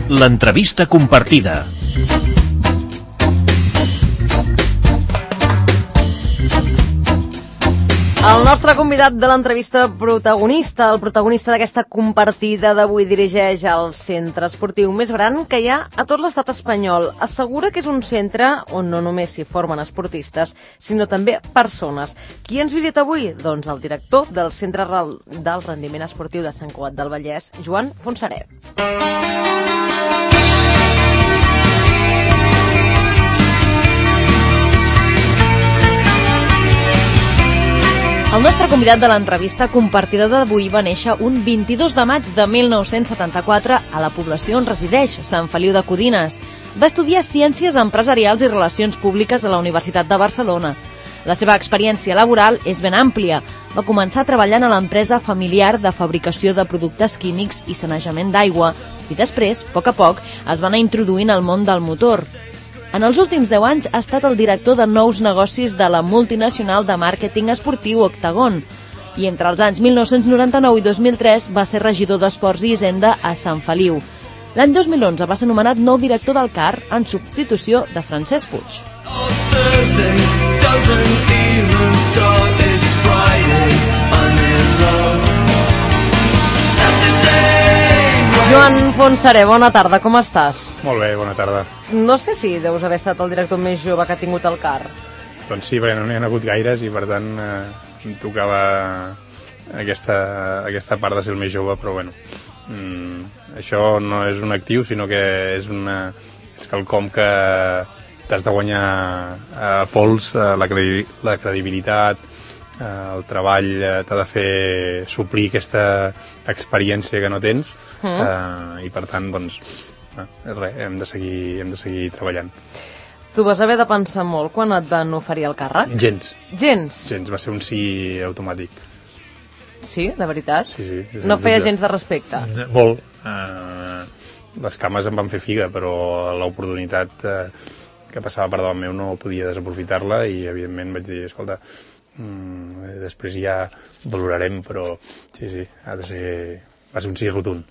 L'entrevista compartida. El nostre convidat de l'entrevista protagonista, el protagonista d'aquesta compartida d'avui, dirigeix el centre esportiu més gran que hi ha a tot l'estat espanyol. Assegura que és un centre on no només s'hi formen esportistes, sinó també persones. Qui ens visita avui? Doncs el director del Centre del Rendiment Esportiu de Sant Cugat del Vallès, Joan Fontserè. El nostre convidat de l'entrevista compartida d'avui va néixer un 22 de maig de 1974 a la població on resideix, Sant Feliu de Codines. Va estudiar Ciències Empresarials i Relacions Públiques a la Universitat de Barcelona. La seva experiència laboral és ben àmplia. Va començar treballant a l'empresa familiar de fabricació de productes químics i sanejament d'aigua i després, a poc, es va anar introduint al món del motor. En els últims 10 anys ha estat el director de nous negocis de la multinacional de màrqueting esportiu Octagon i entre els anys 1999 i 2003 va ser regidor d'Esports i Hisenda a Sant Feliu. L'any 2011 va ser nomenat nou director del CAR en substitució de Francesc Puig. Joan Fontserè, bona tarda, com estàs? Molt bé, bona tarda. No sé si deus haver estat el director més jove que ha tingut el CAR. Doncs sí, perquè no n'hi ha hagut gaires i per tant em tocava aquesta part de ser el més jove, però bueno, això no és un actiu, sinó que és quelcom que t'has de guanyar a pols, la credibilitat, el treball t'ha de fer suplir aquesta experiència que no tens. I per tant, doncs, res, hem de seguir treballant. Tu vas haver de pensar molt quan et van oferir el càrrec? Gens, va ser un sí automàtic. Sí, de veritat? Sí. No feia gens de respecte? Molt. Les cames em van fer figa, però l'oportunitat que passava per davant meu no podia desaprofitar-la i evidentment vaig dir, escolta, després ja valorarem, però sí, va ser un sí rotund.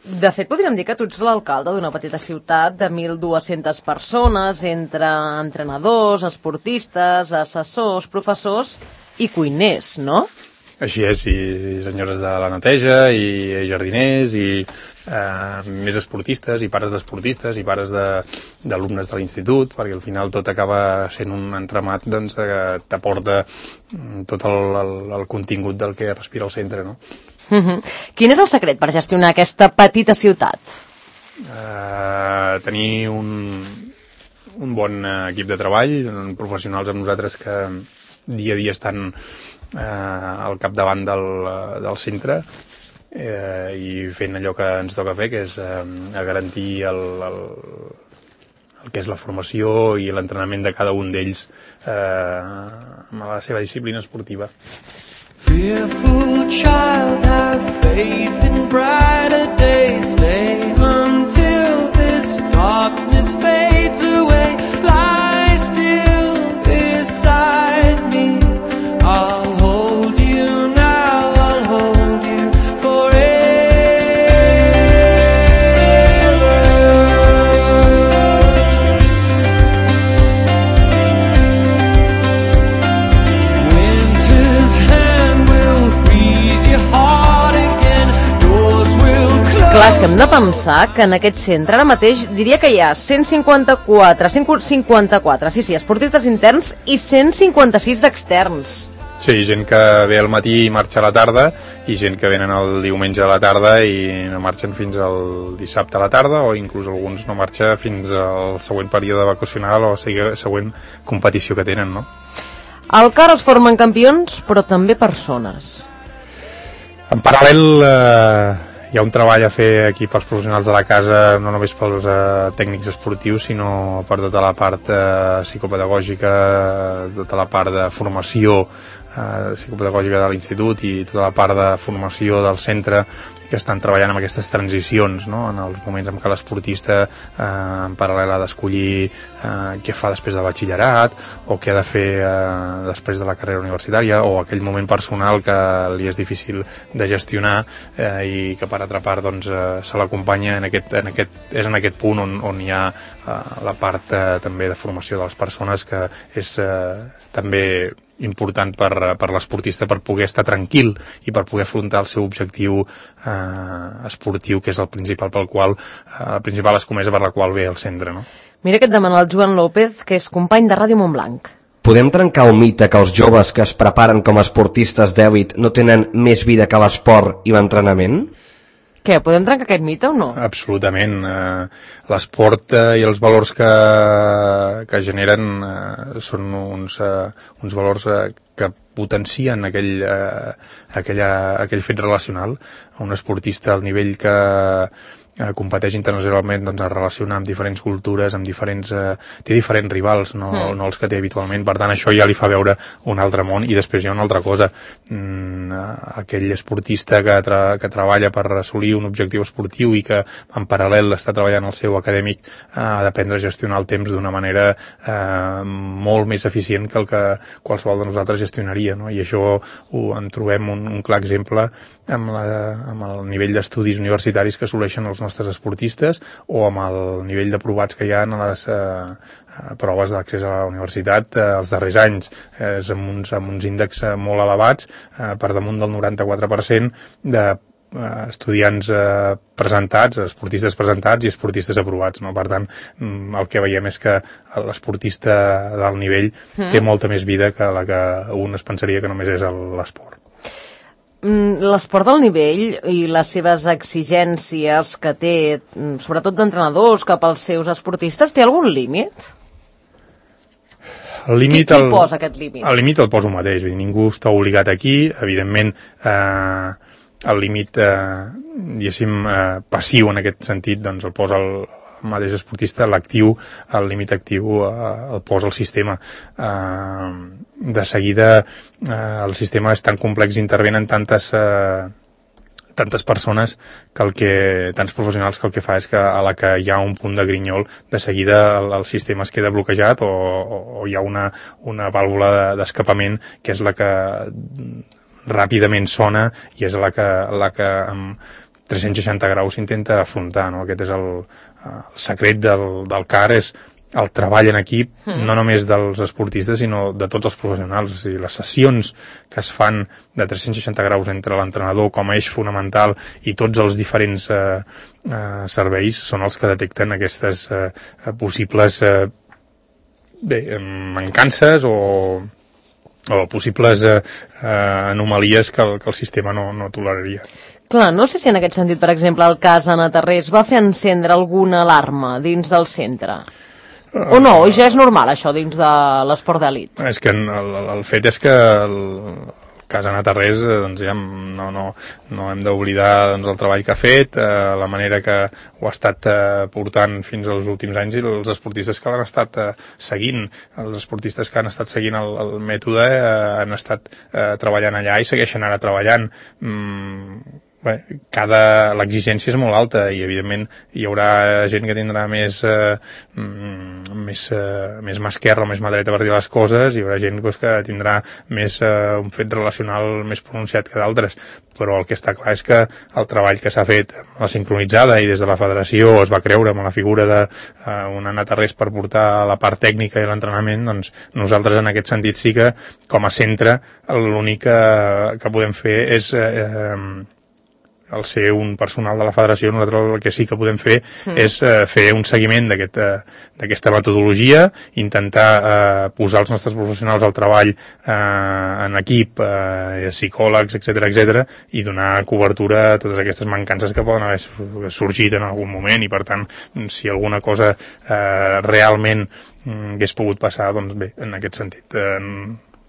De fet, podríem dir que tu ets l'alcalde d'una petita ciutat de 1.200 persones, entre entrenadors, esportistes, assessors, professors i cuiners, no? Així és, i senyores de la neteja, i jardiners, i més esportistes, i pares d'esportistes, i pares d'alumnes de l'institut, perquè al final tot acaba sent un entramat doncs, que t'aporta tot el contingut del que respira el centre, no? Quin és el secret per gestionar aquesta petita ciutat? Tenir un bon equip de treball, professionals amb nosaltres que dia a dia estan al capdavant del centre i fent allò que ens toca fer, que és garantir el que és la formació i l'entrenament de cada un d'ells amb la seva disciplina esportiva. Fearful child, have faith in brighter days. Stay until this darkness fades away. Lie still beside me. I'll hold you now, I'll hold you forever. Winter's hand will freeze your heart again. Doors will close. Clar, és que hem de pensar que en aquest centre ara mateix diria que hi ha 154, sí, esportistes interns i 156 d'externs. Sí, gent que ve al matí i marxa a la tarda, i gent que venen el diumenge a la tarda i no marxen fins al dissabte a la tarda, o inclús alguns no marxen fins al següent període vacacional o següent competició que tenen, no? Al CAR es formen campions, però també persones. En paral·lel hi ha un treball a fer aquí pels professionals de la casa, no només pels tècnics esportius, sinó per tota la part psicopedagògica, tota la part de formació psicopedagògica de l'institut i tota la part de formació del centre, que estan treballant amb aquestes transicions, no? En els moments en què l'esportista en paral·lel ha d'escollir què fa després de batxillerat o què ha de fer després de la carrera universitària, o aquell moment personal que li és difícil de gestionar i que per altra part doncs, se l'acompanya és en aquest punt on hi ha la part també de formació de les persones, que és també important per l'esportista, per poder estar tranquil i per poder afrontar el seu objectiu esportiu, que és el principal la principal escomesa per la qual ve al centre, no? Mira que et demana el Joan López, que és company de Ràdio Montblanc. Podem trencar el mite que els joves que es preparen com a esportistes d'èlit no tenen més vida que l'esport i l'entrenament? Què, podem trencar aquest mite o no? Absolutament. L'esport i els valors que generen són uns valors que potencien aquell fet relacional. Un esportista al nivell que competeix internacionalment, doncs es relaciona amb diferents cultures, amb té diferents rivals, no els que té habitualment. Per tant, això ja li fa veure un altre món. I després hi ha una altra cosa. Aquell esportista que treballa per assolir un objectiu esportiu i que en paral·lel està treballant el seu acadèmic, ha d'aprendre a gestionar el temps d'una manera molt més eficient que el que qualsevol de nosaltres gestionaria, no? I això en trobem un clar exemple amb el nivell d'estudis universitaris que assoleixen els nostres esportistes, o amb el nivell d'aprovats que hi ha en les proves d'accés a la universitat els darrers anys. És amb uns índexs molt elevats, per damunt del 94% d'estudiants presentats, esportistes presentats i esportistes aprovats, no? Per tant, el que veiem és que l'esportista d'alt nivell té molta més vida que la que un es pensaria que només és l'esport. L'esport del nivell i les seves exigències que té, sobretot d'entrenadors cap als seus esportistes, té algun límit? Qui posa aquest límit? El límit el posa un mateix, ningú està obligat aquí. Evidentment, el límit, diguéssim, passiu en aquest sentit, doncs el posa el mateix esportista. L'actiu, el límit actiu el posa el sistema. De seguida, el sistema és tan complex, intervenen tantes persones tants professionals, que el que fa és que a la que hi ha un punt de grinyol, de seguida el sistema es queda bloquejat, o hi ha una vàlvula d'escapament que és la que ràpidament sona i és la que amb 360 graus s'intenta afrontar, no? Aquest és el secret del CAR, és el treball en equip, no només dels esportistes, sinó de tots els professionals. O sigui, les sessions que es fan de 360 graus entre l'entrenador com a eix fonamental i tots els diferents serveis són els que detecten aquestes possibles mancances o possibles anomalies que el sistema no toleraria. Clar, no sé si en aquest sentit, per exemple, el cas Anna Tarrés va fer encendre alguna alarma dins del centre. O no, o ja és normal això dins de l'esport d'elit? És que el fet és que el cas Anna Tarrés, doncs ja no hem d'oblidar el treball que ha fet, la manera que ho ha estat portant fins als últims anys, i els esportistes que l'han estat seguint. Els esportistes que han estat seguint el mètode han estat treballant allà i segueixen ara treballant. L'exigència és molt alta i evidentment hi haurà gent que tindrà més mà esquerra o més mà dreta per dir les coses, hi haurà gent que tindrà més un fet relacional més pronunciat que d'altres, però el que està clar és que el treball que s'ha fet amb la sincronitzada i des de la federació es va creure amb la figura d'una Anna Tarrés per portar la part tècnica i l'entrenament, doncs nosaltres en aquest sentit sí que com a centre l'únic que podem fer és al ser un personal de la federació, nosaltres el que sí que podem fer és fer un seguiment d'aquesta metodologia, intentar posar els nostres professionals al treball en equip, psicòlegs, etc, i donar cobertura a totes aquestes mancances que poden haver sorgit en algun moment, i per tant, si alguna cosa realment hagués pogut passar, doncs bé, en aquest sentit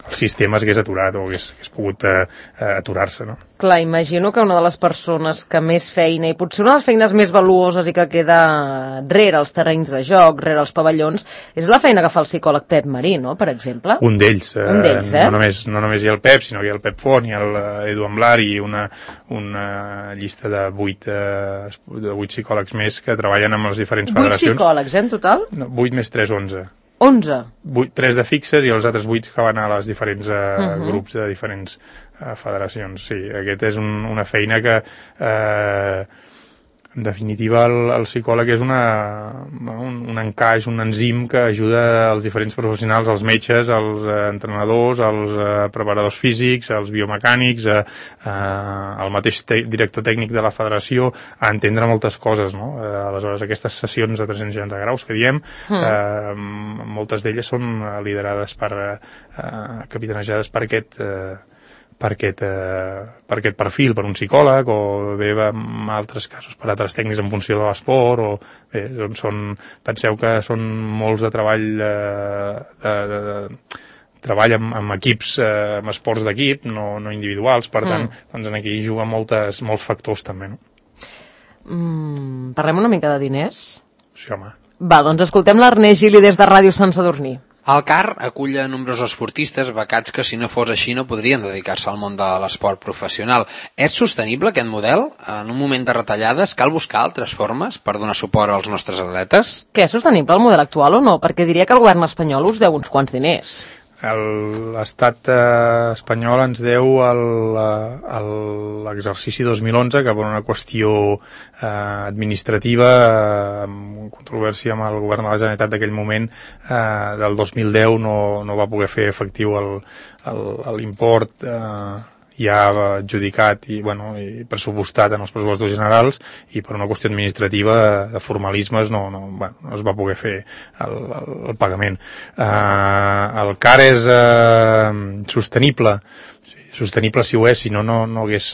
el sistema s'hagués aturat o hagués pogut aturar-se, no? Clar, imagino que una de les persones que més feina, i potser una de les feines més valuoses i que queda rere els terrenys de joc, rere els pavellons, és la feina que fa el psicòleg Pep Marí, no?, per exemple. Un d'ells. No només hi ha el Pep, sinó que hi ha el Pep Font, hi ha l'Edu Amblar i una llista de 8 psicòlegs més que treballen amb les diferents federacions. 8 psicòlegs, en total? No, 8 més 3, 11. 11? 3 de fixes i els altres 8 que van a les diferents grups de diferents federacions. Sí, aquest és una feina que en definitiva el psicòleg és un encaix, un enzim que ajuda els diferents professionals, els metges, els entrenadors, els preparadors físics, els biomecànics, el mateix director tècnic de la federació a entendre moltes coses, no? Aleshores, aquestes sessions de 360 graus que diem, moltes d'elles són liderades capitanejades per aquest perfil, per un psicòleg, o bé en altres casos per altres tècnics en funció de l'esport, o bé, penseu que són molts de treball amb equips, amb esports d'equip, no individuals, per tant, doncs aquí hi juguen molts factors també, no? Parlem una mica de diners? Sí, home. Va, doncs escoltem l'Ernest Gili des de Ràdio Sant Sadurní. El CAR acull a nombrosos esportistes becats que, si no fos així, no podrien dedicar-se al món de l'esport professional. És sostenible aquest model? En un moment de retallades cal buscar altres formes per donar suport als nostres atletes? Que és sostenible el model actual o no? Perquè diria que el govern espanyol us deu uns quants diners. L'estat espanyol ens deu l'exercici 2011, que per una qüestió administrativa, amb controvèrsia amb el govern de la Generalitat d'aquell moment, del 2010 no va poder fer efectiu l'import ja adjudicat i pressupostat en els pressupostos generals, i per una qüestió administrativa de formalismes no es va poder fer el pagament. El CAR és sostenible. Sostenible si ho és, si no hagués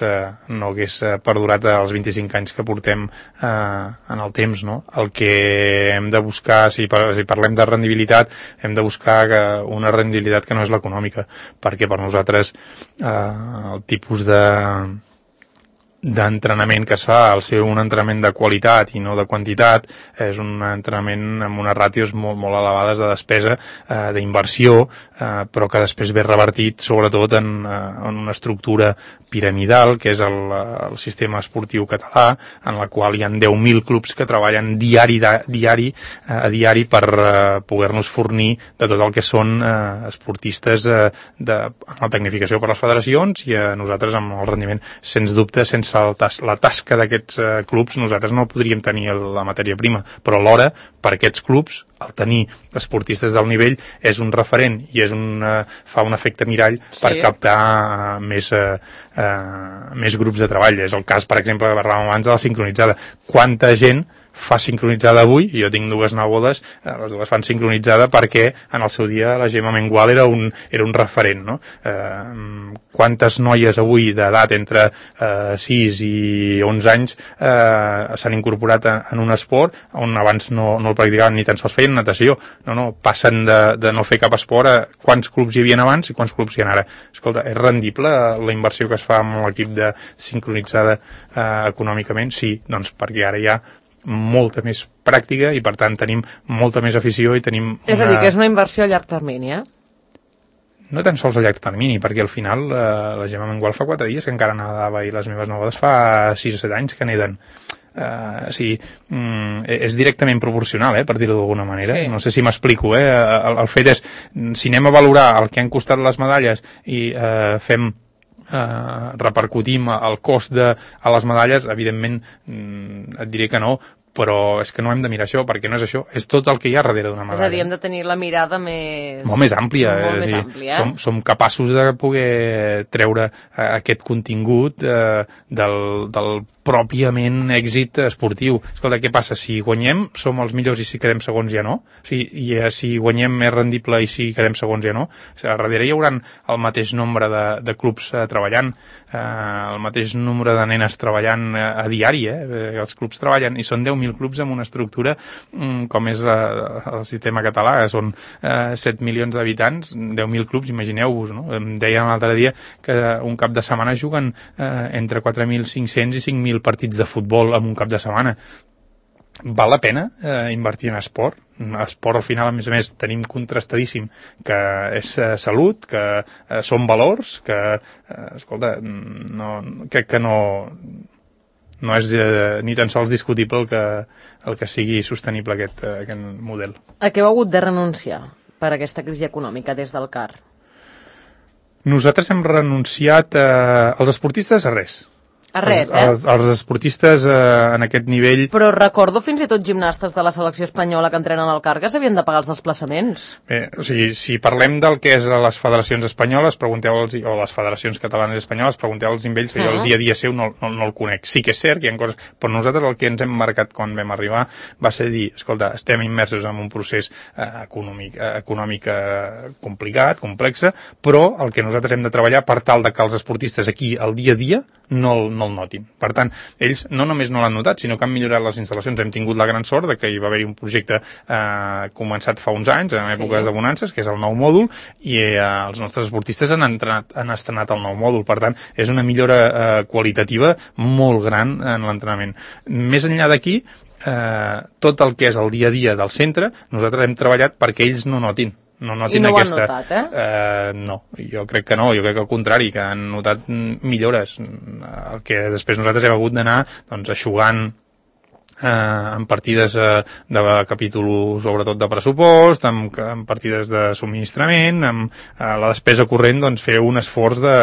perdurat els 25 anys que portem en el temps, no? El que hem de buscar, si parlem de rendibilitat, hem de buscar una rendibilitat que no és l'econòmica, perquè per nosaltres el tipus d'entrenament que es fa, al ser un entrenament de qualitat i no de quantitat, és un entrenament amb unes ràtios molt elevades de despesa, d'inversió, però que després ve revertit sobretot en una estructura piramidal, que és el sistema esportiu català, en la qual hi ha 10.000 clubs que treballen diari per poder-nos fornir de tot el que són esportistes amb la tecnificació per les federacions, i a nosaltres amb el rendiment, sens dubte, sense la tasca d'aquests clubs nosaltres no podríem tenir la matèria prima, però alhora per aquests clubs el tenir esportistes del nivell és un referent i fa un efecte mirall per captar més grups de treball. És el cas, per exemple, que parlàvem abans de la sincronitzada. Quanta gent fa sincronitzada avui? Jo tinc 2 nebodes, les 2 fan sincronitzada perquè en el seu dia la Gemma Mengual era un referent, no? Quantes noies avui d'edat entre 6 i 11 anys s'han incorporat en un esport on abans no el practicaven ni tan sols feien natació. Passen de no fer cap esport a quants clubs hi havia abans i quants clubs hi ha ara. Escolta, és rendible la inversió que es fa amb l'equip de sincronitzada econòmicament? Sí, doncs perquè ara hi ha molta més pràctica i per tant tenim molta més afició i tenim És a dir, que és una inversió a llarg termini, No tan sols a llarg termini, perquè al final la Gemma Mengual fa 4 dies que encara nedava i les meves nebodes fa 6 o 7 anys que neden. És directament proporcional, per dir-ho d'alguna manera. No sé si m'explico, el fet és, si anem a valorar el que han costat les medalles i repercutim el cost a les medalles, evidentment et diré que no, però és que no hem de mirar això, perquè no és això, és tot el que hi ha darrere d'una medalla. És a dir, hem de tenir la mirada més... Molt més àmplia. Som capaços de poder treure aquest contingut del pròpiament èxit esportiu. Escolta, què passa? Si guanyem, som els millors, i si quedem segons ja no? Si guanyem és rendible i si quedem segons ja no? Darrere hi haurà el mateix nombre de clubs treballant, el mateix nombre de nenes treballant a diari, els clubs treballen i són 10.000 10.000 clubs amb una estructura com és el sistema català, que són 7 milions d'habitants, 10.000 clubs, imagineu-vos, no? Em deien l'altre dia que un cap de setmana juguen entre 4.500 i 5.000 partits de futbol en un cap de setmana. Val la pena invertir en esport? Esport, al final, a més, tenim contrastadíssim que és salut, que són valors, que, escolta, crec que no és ni tan sols discutible el que sigui sostenible aquest model. A què heu hagut de renunciar per aquesta crisi econòmica des del CAR? Nosaltres hem renunciat als esportistes a res. A res, Els esportistes en aquest nivell... Però recordo fins i tot gimnastes de la selecció espanyola que entrenen al CAR que s'havien de pagar els desplaçaments. Bé, o sigui, si parlem del que és a les federacions espanyoles, pregunteu-los, o les federacions catalanes i espanyoles, pregunteu-los amb ells, que jo el dia a dia seu no el conec. Sí que és cert que hi ha coses... Però nosaltres el que ens hem marcat quan vam arribar va ser dir, escolta, estem immersos en un procés econòmic complicat, complex, però el que nosaltres hem de treballar per tal de que els esportistes aquí, al dia a dia, no el notin. Per tant, ells no només no l'han notat, sinó que han millorat les instal·lacions. Hem tingut la gran sort de que hi va haver un projecte començat fa uns anys, en èpoques de bonances, que és el nou mòdul, i els nostres esportistes han estrenat el nou mòdul. Per tant, és una millora qualitativa molt gran en l'entrenament. Més enllà d'aquí, tot el que és el dia a dia del centre, nosaltres hem treballat perquè ells no notin. No notin aquesta... ho han notat, no, jo crec que no, jo crec que al contrari, que han notat millores. El que després nosaltres hem hagut d'anar eixugant en partides de capítol sobretot de pressupost, en partides de subministrament, amb la despesa corrent, fer un esforç de...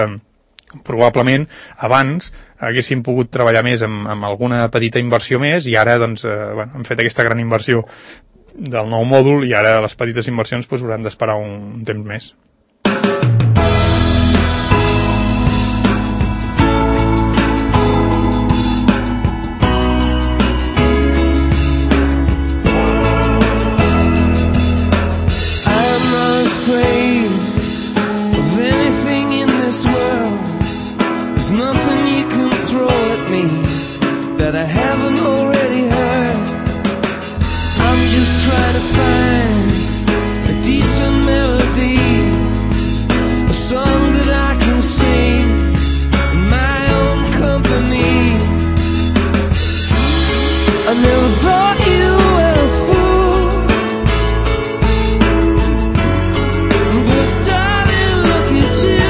Probablement abans haguéssim pogut treballar més amb alguna petita inversió més i ara hem fet aquesta gran inversió del nou mòdul i ara les petites inversions hauran d'esperar un temps més. I'm not afraid of anything in this world. There's nothing you can throw at me that I haven't already heard. I'm just trying to find a decent melody, a song that I can sing in my own company. I never thought you were a fool, but darling, look at you.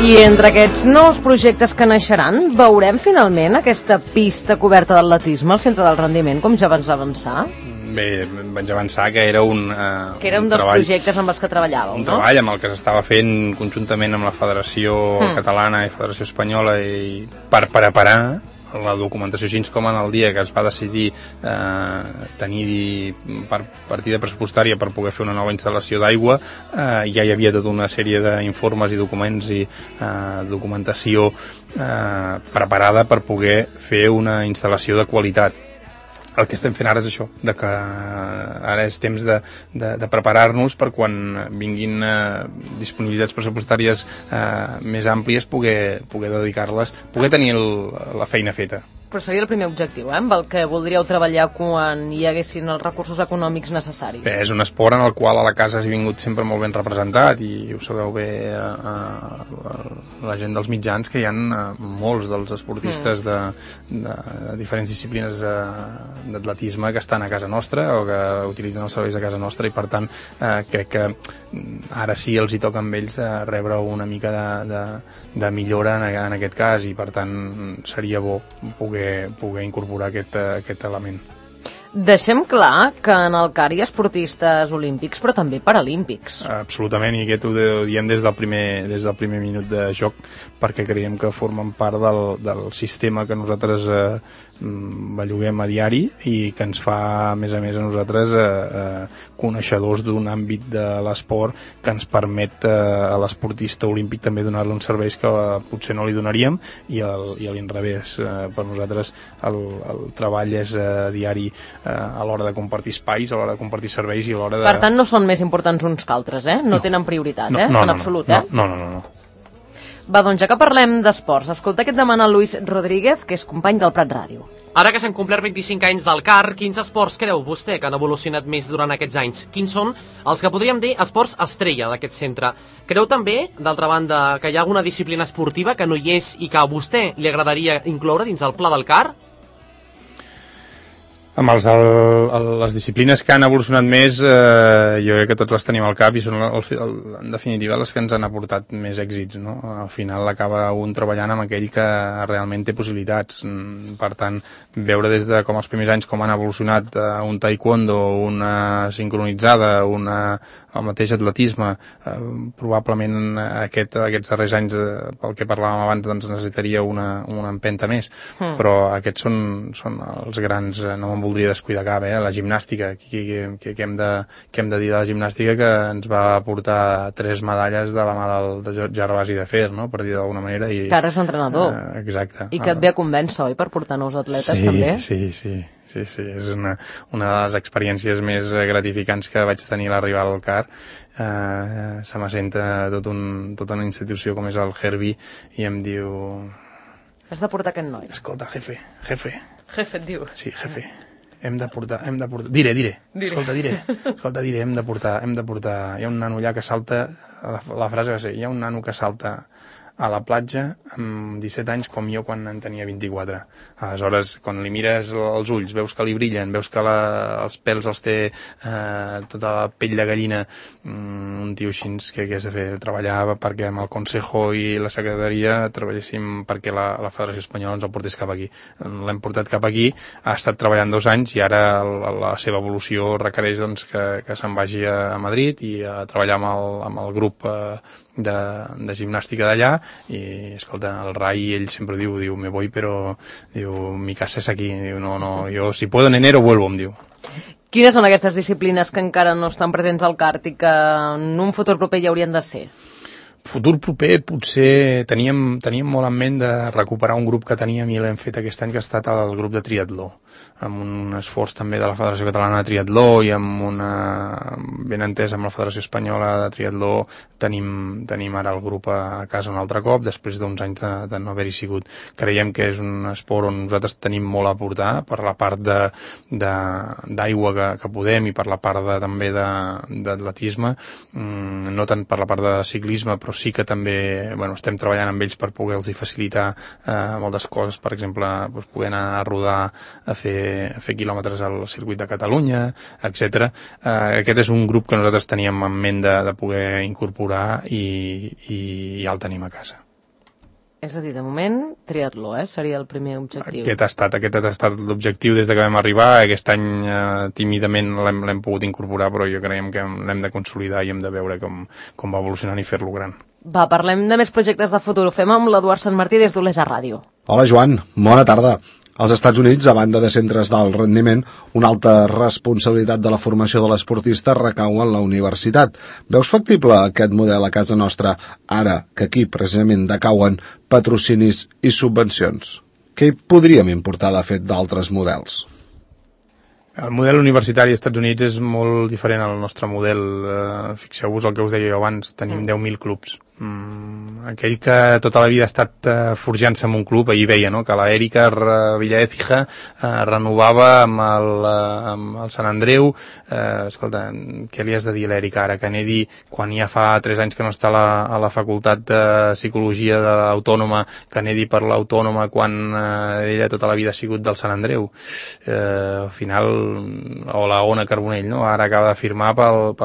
I entre aquests nous projectes que naixeran, veurem finalment aquesta pista coberta d'atletisme al centre del rendiment, com ja vas avançar? Bé, vaig avançar que era un dels projectes amb els que treballàveu, no? Un treball amb el que s'estava fent conjuntament amb la Federació Catalana i Federació Espanyola i per preparar la documentació, així com en el dia que es va decidir tenir partida pressupostària per poder fer una nova instal·lació d'aigua, ja hi havia tota una sèrie d'informes i documents i documentació preparada per poder fer una instal·lació de qualitat. El que estem fent ara és això, de que ara és temps de preparar-nos per quan vinguin disponibilitats pressupostàries més àmplies poder dedicar-les, poder tenir la feina feta. Però seria el primer objectiu, amb el que voldríeu treballar quan hi haguessin els recursos econòmics necessaris. Bé, és un esport en el qual a la casa has vingut sempre molt ben representat i ho sabeu bé la gent dels mitjans, que hi ha molts dels esportistes de diferents disciplines d'atletisme que estan a casa nostra o que utilitzen els serveis de casa nostra i per tant crec que ara sí els hi toca amb ells rebre una mica de millora en aquest cas i per tant seria bo poder incorporar aquest element. Deixem clar que en el CAR hi ha esportistes olímpics però també paralímpics. Absolutament, i aquest ho diem des del primer minut de joc perquè creiem que formen part del sistema que nosaltres belluguem a diari i que ens fa, a més a nosaltres coneixedors d'un àmbit de l'esport que ens permet a l'esportista olímpic també donar-li uns serveis que potser no li donaríem i a l'inrevés. Per nosaltres el treball és diari a l'hora de compartir espais, a l'hora de compartir serveis i a l'hora de... Per tant, no són més importants uns que altres, eh? No tenen prioritat, en absolut, eh? No. Va, doncs ja que parlem d'esports, escolta què et demana Luis Rodríguez, que és company del Prat Ràdio. Ara que s'han complert 25 anys del CAR, quins esports creu vostè que han evolucionat més durant aquests anys? Quins són els que podríem dir esports estrella d'aquest centre? Creu també, d'altra banda, que hi ha alguna disciplina esportiva que no hi és i que a vostè li agradaria incloure dins el pla del CAR? Amb les disciplines que han evolucionat més, jo crec que tots les tenim al cap i són, en definitiva, les que ens han aportat més èxits, no? Al final acaba un treballant amb aquell que realment té possibilitats. Per tant, veure des de com els primers anys com han evolucionat un taekwondo, una sincronitzada, el mateix atletisme, probablement aquests darrers anys, pel que parlàvem abans, doncs necessitaria una empenta més, però aquests són els grans, no me'n voldria descuidar cap, la gimnàstica, que hem de dir de la gimnàstica, que ens va portar 3 medalles de la mà de Gervasi de Fer, no? Per dir d'alguna manera. Que ara és entrenador. Exacte. I que et ve a convèncer, oi, per portar nous atletes, també? Sí. És una de les experiències més gratificants que vaig tenir a l'arribar al CAR. Se m'assenta tota una institució com és el Herbie i em diu... Has de portar aquest noi. Escolta, jefe. Jefe, et diu. Sí, jefe. Hem de portar. Diré. Escolta, diré, hem de portar. Hi ha un nano allà que salta, la frase va ser, hi ha un nano que salta a la platja amb 17 anys com jo quan en tenia 24. Aleshores, quan li mires els ulls, veus que li brillen, veus que els pèls els té tota la pell de gallina, un tio així que has de fer? Treballar perquè amb el Consejo i la Secretaria treballéssim perquè la Federació Espanyola ens el portés cap aquí. L'hem portat cap aquí, ha estat treballant 2 anys i ara la seva evolució requereix doncs, que se'n vagi a Madrid i a treballar amb el grup de gimnàstica d'allà i, escolta, el Rai, ell sempre diu me voy, però diu, mi casa és aquí, diu, no, jo si puedo en enero vuelvo, em diu. Quines són aquestes disciplines que encara no estan presents al CART i que en un futur proper hi haurien de ser? Futur proper potser teníem molt en ment de recuperar un grup que teníem i l'hem fet aquest any, que ha estat el grup de triatló, amb un esforç també de la Federació Catalana de Triatló i amb ben entès amb la Federació Espanyola de Triatló tenim ara el grup a casa un altre cop, després d'uns anys de no haver-hi sigut. Creiem que és un esport on nosaltres tenim molt a aportar per la part d'aigua que podem i per la part també d'atletisme, no tant per la part de ciclisme, però sí que també estem treballant amb ells per poder-los facilitar moltes coses, per exemple, poder anar a rodar, a fer quilòmetres al circuit de Catalunya, etc. Aquest és un grup que nosaltres teníem en ment de poder incorporar i ja el tenim a casa. És a dir, de moment, triatló, seria el primer objectiu. Aquest ha estat l'objectiu des que vam arribar. Aquest any tímidament l'hem pogut incorporar, però jo creiem que l'hem de consolidar i hem de veure com va evolucionant i fer-lo gran. Va, parlem de més projectes de futur. Ho fem amb l'Eduard Sant Martí des d'Olesa Ràdio. Hola, Joan. Bona tarda. Als Estats Units, a banda de centres d'alt rendiment, una alta responsabilitat de la formació de l'esportista recau en la universitat. Veus factible aquest model a casa nostra, ara que aquí precisament decauen patrocinis i subvencions? Què hi podríem importar de fet d'altres models? El model universitari als Estats Units és molt diferent al nostre model. Fixeu-vos el que us deia jo abans, tenim 10.000 clubs. Aquell que tota la vida ha estat forjant-se en un club, ahir veia, no?, que la Erika Villaécija renovava amb el Sant Andreu. Escolta, què li has de dir a l'Erika ara? Que Nedi, quan ja fa 3 anys que no està a la facultat de psicologia de l'Autònoma, que Nedi per l'Autònoma quan ella tota la vida ha sigut del Sant Andreu. Al final, o la Ona Carbonell, no?, ara acaba de firmar pel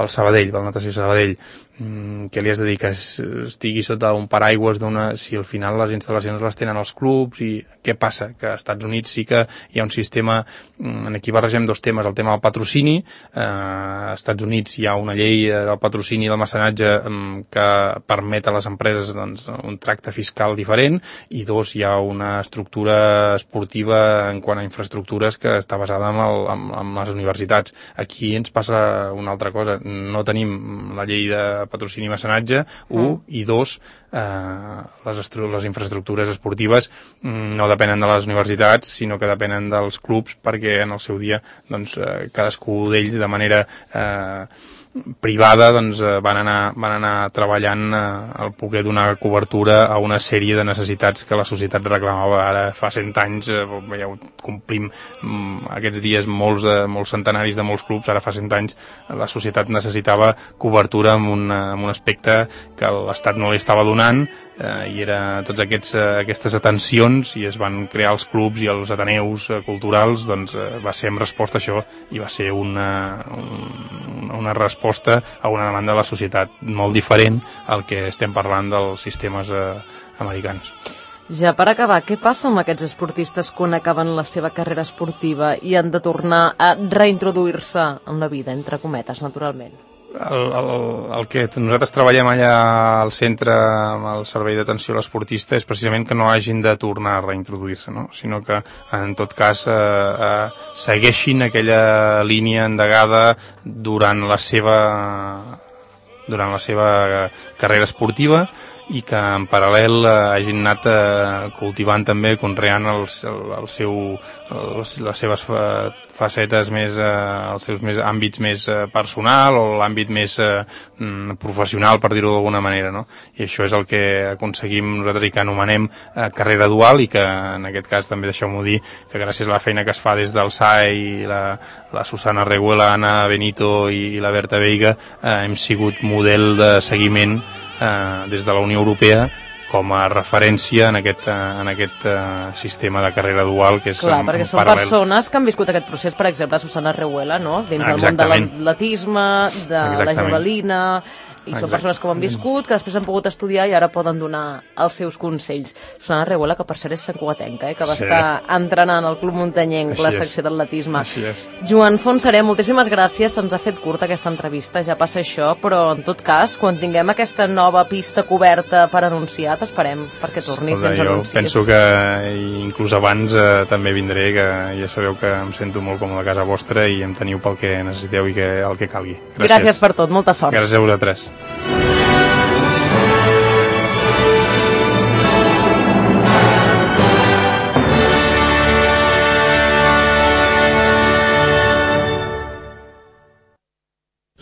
Sabadell, pel Natació Sabadell. Què li has de dir? Que estigui sota un paraigües si al final les instal·lacions les tenen els clubs. I què passa? Que als Estats Units sí que hi ha un sistema, aquí barregem 2 temes, el tema del patrocini. Als Estats Units hi ha una llei del patrocini i del mecenatge que permet a les empreses un tracte fiscal diferent, i 2, hi ha una estructura esportiva en quant a infraestructures que està basada en les universitats. Aquí ens passa una altra cosa, no tenim la llei de patrocini i mecenatge, 1, i 2, les infraestructures esportives no depenen de les universitats, sinó que depenen dels clubs, perquè en el seu dia cadascú d'ells de manera privada, doncs van anar treballant el poder donar cobertura a una sèrie de necessitats que la societat reclamava. Ara fa 100 anys, ja complim aquests dies molts centenaris de molts clubs, ara fa 100 anys la societat necessitava cobertura en un aspecte que l'Estat no li estava donant, i era tots aquestes atencions, i es van crear els clubs i els ateneus culturals, doncs va ser en resposta a això, i va ser una resposta a una demanda de la societat molt diferent al que estem parlant dels sistemes americans. Ja per acabar, què passa amb aquests esportistes quan acaben la seva carrera esportiva i han de tornar a reintroduir-se en la vida, entre cometes, naturalment? El que nosaltres treballem allà al centre amb el servei d'atenció a l'esportista és precisament que no hagin de tornar a reintroduir-se, no? Sinó que en tot cas segueixin aquella línia endegada durant la seva carrera esportiva, i que en paral·lel hagin anat cultivant també, conreant les seves facetes més, els seus àmbits més personal, o l'àmbit més professional, per dir-ho d'alguna manera, no? I això és el que aconseguim nosaltres i que anomenem carrera dual, i que en aquest cas també deixeu-m'ho dir que gràcies a la feina que es fa des del SAE i la Susana Reguela, Anna Benito i la Berta Veiga, hem sigut model de seguiment des de la Unió Europea com a referència en aquest sistema de carrera dual, que és clar, perquè són paral·lel. Persones que han viscut aquest procés, per exemple, Susana Reguela, no? Dins del món de l'atletisme, de la javelina, i són persones que ho han viscut, que després han pogut estudiar i ara poden donar els seus consells. Susana Reguela, que per cert és santcugatenca, que va estar entrenant al Club Muntanyenc, la secció d'atletisme. Joan Fontserè, moltíssimes gràcies, se'ns ha fet curta aquesta entrevista, ja passa això, però en tot cas, quan tinguem aquesta nova pista coberta per anunciar, t'esperem perquè tornis i ens anuncis. Jo penso que inclús abans també vindré, que ja sabeu que em sento molt còmode a casa vostra i em teniu pel que necessiteu i el que calgui. Gràcies per tot, molta sort. Gràcies a vosaltres.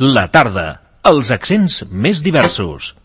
La tarda, els accents més diversos.